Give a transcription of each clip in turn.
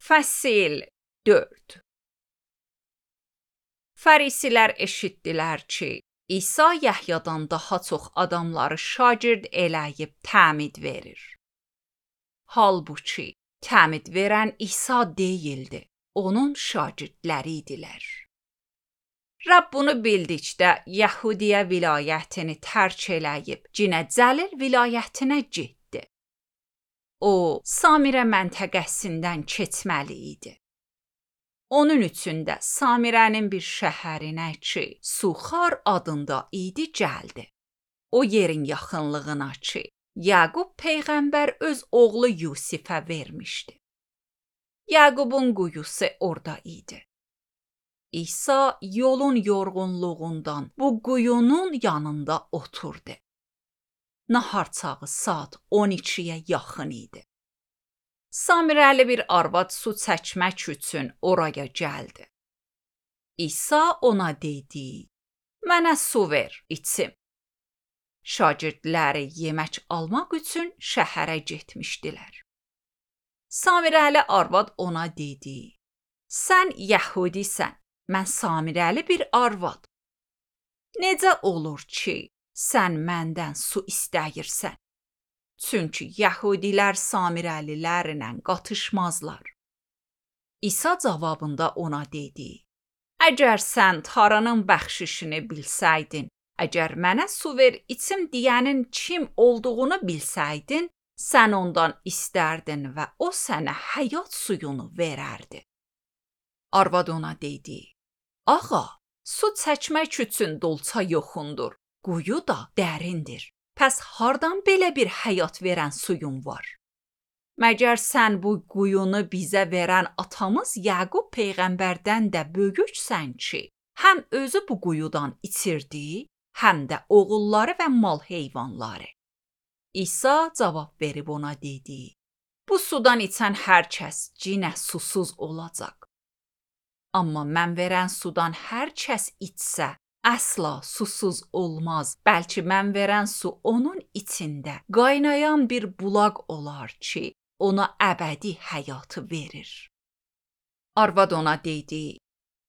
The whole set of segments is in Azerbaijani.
Fəsil 4. Fərisilər eşitdilər ki, İsa Yəhyadan daha çox adamları şagird eləyib təmid verir. Halbuki təmid verən İsa deyildi, onun şagirdləri idilər. Rəbb bunu bildikdə Yəhudiyə vilayətini tərk eləyib Cinə Cəlil vilayətinə getdi. O, Samirə məntəqəsindən keçməli idi. Onun üçün də Samirənin bir şəhərinə ki, Suxar adında idi gəldi. O yerin yaxınlığına ki, Yaqub peyğəmbər öz oğlu Yusifə vermişdi. Yaqubun quyusu orada idi. İsa yolun yorğunluğundan bu quyunun yanında oturdu. Nahar çağı saat 12-yə yaxın idi. Samirəli bir arvad su çəkmək üçün oraya gəldi. İsa ona dedi, mənə su ver, içim. Şagirdləri yemək almaq üçün şəhərə getmişdilər. Samirəli arvad ona dedi, sən Yəhudisən, mən Samirəli bir arvad. Necə olur ki, sən məndən su istəyirsən? Çünki Yəhudilər Samirəlilərlə qatışmazlar. İsa cavabında ona dedi, əgər sən Tanrının bəxşişini bilsəydin, əgər mənə su ver içim deyənin kim olduğunu bilsəydin, sən ondan istərdin və o sənə həyat suyunu verərdi. Arvad ona dedi, ağa, su çəkmək üçün dolça yoxundur, quyu da dərindir. Pəs hardan belə bir həyat verən suyun var? Məgər sən bu quyunu bizə verən atamız Yaqub peyğəmbərdən də böyüksən ki, həm özü bu quyudan içirdi, həm də oğulları və mal heyvanları. İsa cavab verib ona dedi, bu sudan içən hər kəs cinə susuz olacaq. Amma mən verən sudan hər kəs içsə, əsla susuz olmaz, bəlkə mən verən su onun içində qaynayan bir bulaq olar ki, ona əbədi həyatı verir. Arvad ona dedi,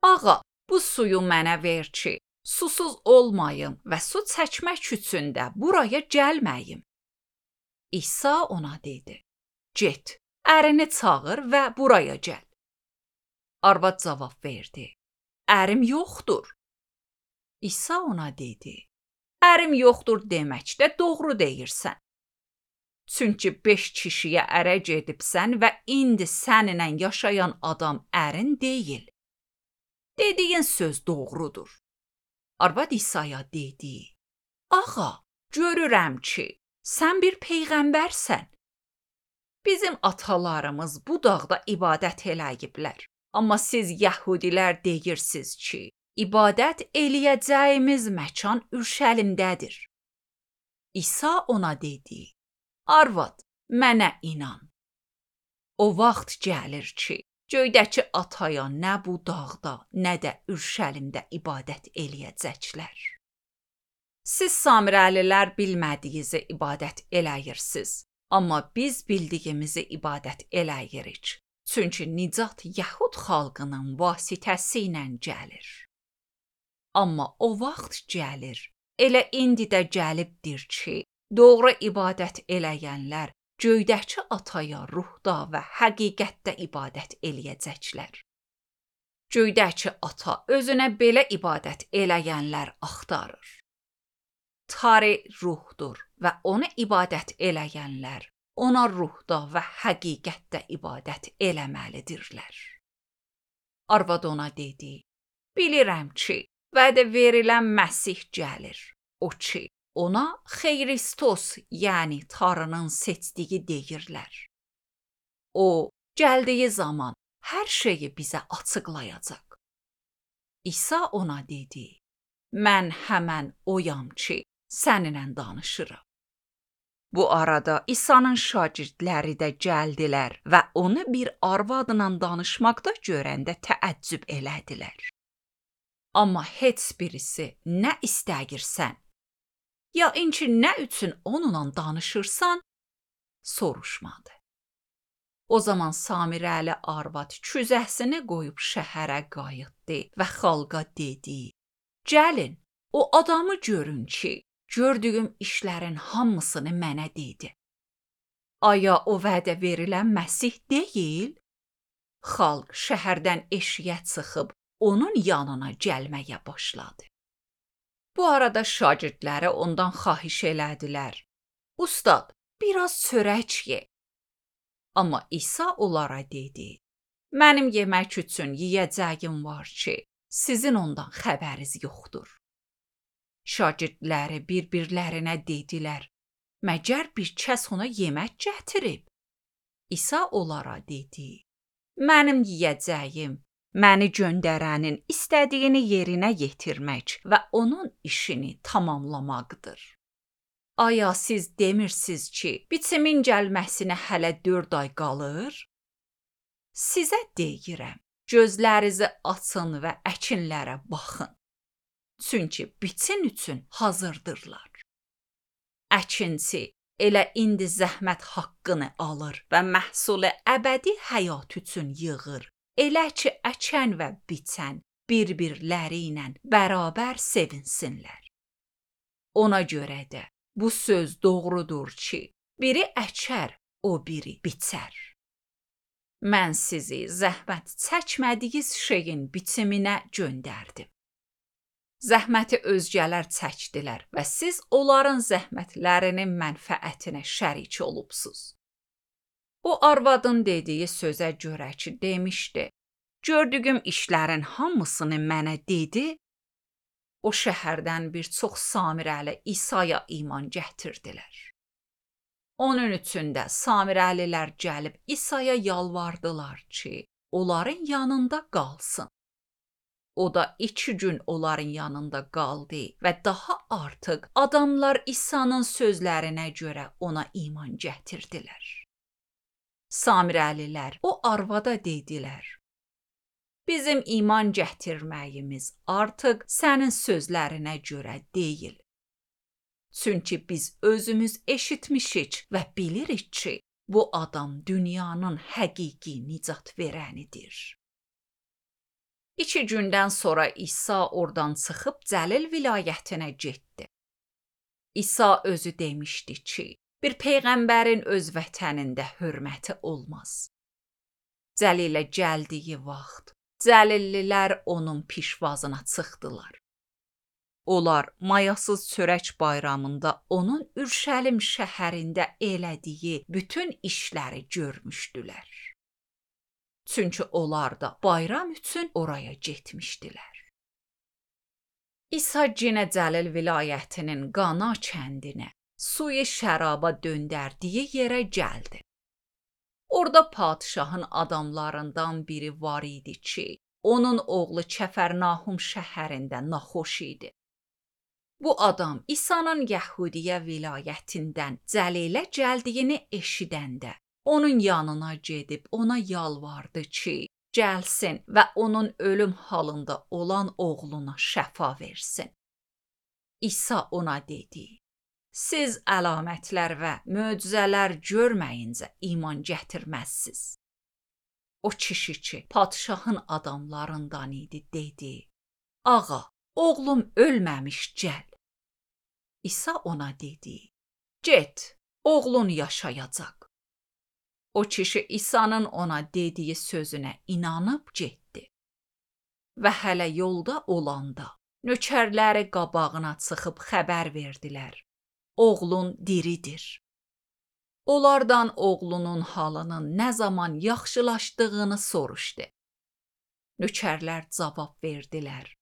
ağa, bu suyu mənə ver ki, susuz olmayım və su çəkmək üçün də buraya gəlməyim. İsa ona dedi, get, ərini çağır və buraya gəl. Arvad cavab verdi, ərim yoxdur. İsa ona dedi, ərim yoxdur deməkdə doğru deyirsən. Çünki 5 kişiyə ərə gedibsən və indi səninlə yaşayan adam ərin deyil. Dediyin söz doğrudur. Arvad İsa'ya dedi, ağa, görürəm ki, sən bir peyğəmbərsən. Bizim atalarımız bu dağda ibadət eləyiblər. Amma siz Yəhudilər deyirsiniz ki, ibadət eləyəcəyimiz məkan Ürşəlimdədir. İsa ona dedi, arvad, mənə inan. O vaxt gəlir ki, göydəki ataya nə bu dağda, nə də Ürşəlimdə ibadət eləyəcəklər. Siz Samirəlilər bilmədiyinizi ibadət eləyirsiniz, amma biz bildiyimizi ibadət eləyirik. Çünki nicat Yəhud xalqının vasitəsi ilə gəlir. Amma o vaxt gəlir, elə indi də gəlibdir ki, doğru ibadət eləyənlər göydəki ataya ruhda və həqiqətdə ibadət eləyəcəklər. Göydəki ata özünə belə ibadət eləyənlər axtarır. Tanrı ruhdur və ona ibadət eləyənlər ona ruhda və həqiqətdə ibadət eləməlidirlər. Arvad ona dedi, bilirəm ki, vədə verilən Məsih gəlir. O ki, ona Xeyristos, yəni Tanrının seçdiyi deyirlər. O, gəldiyi zaman hər şeyi bizə açıqlayacaq. İsa ona dedi, mən həmən oyam ki, səninlə danışıram. Bu arada İsa'nın şagirdləri də gəldilər və onu bir arvadla danışmaqda görəndə təəccüb elədilər. Amma heç birisi nə istəyirsən, ya inki nə üçün onunla danışırsan, soruşmadı. O zaman Samirəli arvad küzəsini qoyub şəhərə qayıtdı və xalqa dedi: "Gəlin, o adamı görün ki, gördüyüm işlərin hamısını mənə dedi. Aya o vədə verilən Məsih deyil?" Xalq şəhərdən eşiyə çıxıb onun yanına gəlməyə başladı. Bu arada şagirdləri ondan xahiş elədilər: "Ustad, biraz çörək ye." Amma İsa onlara dedi: "Mənim yemək üçün yeyəcəyim var ki, sizin ondan xəbəriniz yoxdur." Şagirdləri bir-birlərinə dedilər: "Məgər bir kəs ona yemək gətirib?" İsa onlara dedi: "Mənim yeyəcəyim məni göndərənin istədiyini yerinə yetirmək və onun işini tamamlamaqdır. Aya siz demirsiz ki, bitimin gəlməsinə hələ 4 ay qalır? Sizə deyirəm, gözlərinizi açın və əkinlərə baxın. Çünki bitin üçün hazırdırlar. Əkinçi elə indi zəhmət haqqını alır və məhsulu əbədi həyat üçün yığır. Elə ki, əkən və biçən bir-birləri ilə bərabər sevinsinlər. Ona görə də bu söz doğrudur ki, biri əkər, o biri biçər. Mən sizi zəhmət çəkmədiyiz şeyin bitiminə göndərdim. Zəhməti özgələr çəkdilər və siz onların zəhmətlərinin mənfəətinə şərik olubsuz." O arvadın dediyi sözə görə ki, demişdi: "Gördüyüm işlərin hamısını mənə dedi." O şəhərdən bir çox Samirəli İsa'ya iman gətirdilər. Onun üçün də Samirəlilər gəlib İsa'ya yalvardılar ki, onların yanında qalsın. O da 2 gün onların yanında qaldı və daha artıq adamlar İsa'nın sözlərinə görə ona iman gətirdilər. Samirəlilər o arvada dedilər: "Bizim iman gətirməyimiz artıq sənin sözlərinə görə deyil. Çünki biz özümüz eşitmişik və bilirik ki, bu adam dünyanın həqiqi nicat verənidir." 2 gündən sonra İsa oradan çıxıb Cəlil vilayətinə getdi. İsa özü demişdi ki, bir peyğəmbərin öz vətənində hörməti olmaz. Cəlilə gəldiyi vaxt Cəlillilər onun pişvazına çıxdılar. Onlar mayasız çörək bayramında onun Ürşəlim şəhərində elədiyi bütün işləri görmüşdülər. Çünki onlar da bayram üçün oraya getmişdilər. İsa yenə Cəlil vilayətinin Qana kəndinə, suyu şəraba döndərdiyi yerə gəldi. Orada padşahın adamlarından biri var idi ki, onun oğlu Kəfərnahum şəhərində naxoş idi. Bu adam İsa'nın Yəhudiyə vilayətindən Cəlilə gəldiyini eşidəndə onun yanına gedib ona yalvardı ki, gəlsin və onun ölüm halında olan oğluna şəfa versin. İsa ona dedi: "Siz əlamətlər və möcüzələr görməyincə iman gətirməzsiz." O kişi ki, padşahın adamlarından idi, dedi: "Ağa, oğlum ölməmiş, gəl." İsa ona dedi: "Get, oğlun yaşayacaq." O kişi İsa'nın ona dediyi sözünə inanıb getdi. Və hələ yolda olanda nökərləri qabağına çıxıb xəbər verdilər: "Oğlun diridir." Onlardan oğlunun halının nə zaman yaxşılaşdığını soruşdu. Nökərlər cavab verdilər: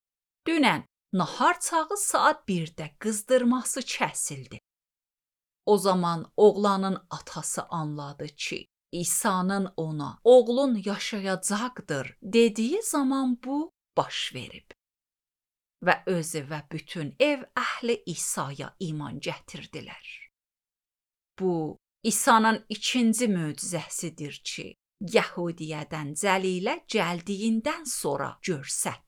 "Dünən nahar çağı saat 1-də qızdırması kəsildi." O zaman oğlanın atası anladı ki, İsa'nın ona "Oğlun yaşayacaqdır" dediyi zaman bu baş verib. Və özü və bütün ev əhli İsa'ya iman gətirdilər. Bu, İsa'nın 2-ci möcüzəsidir ki, Yəhudiyədən Cəlilə gəldiyindən sonra görsətdi.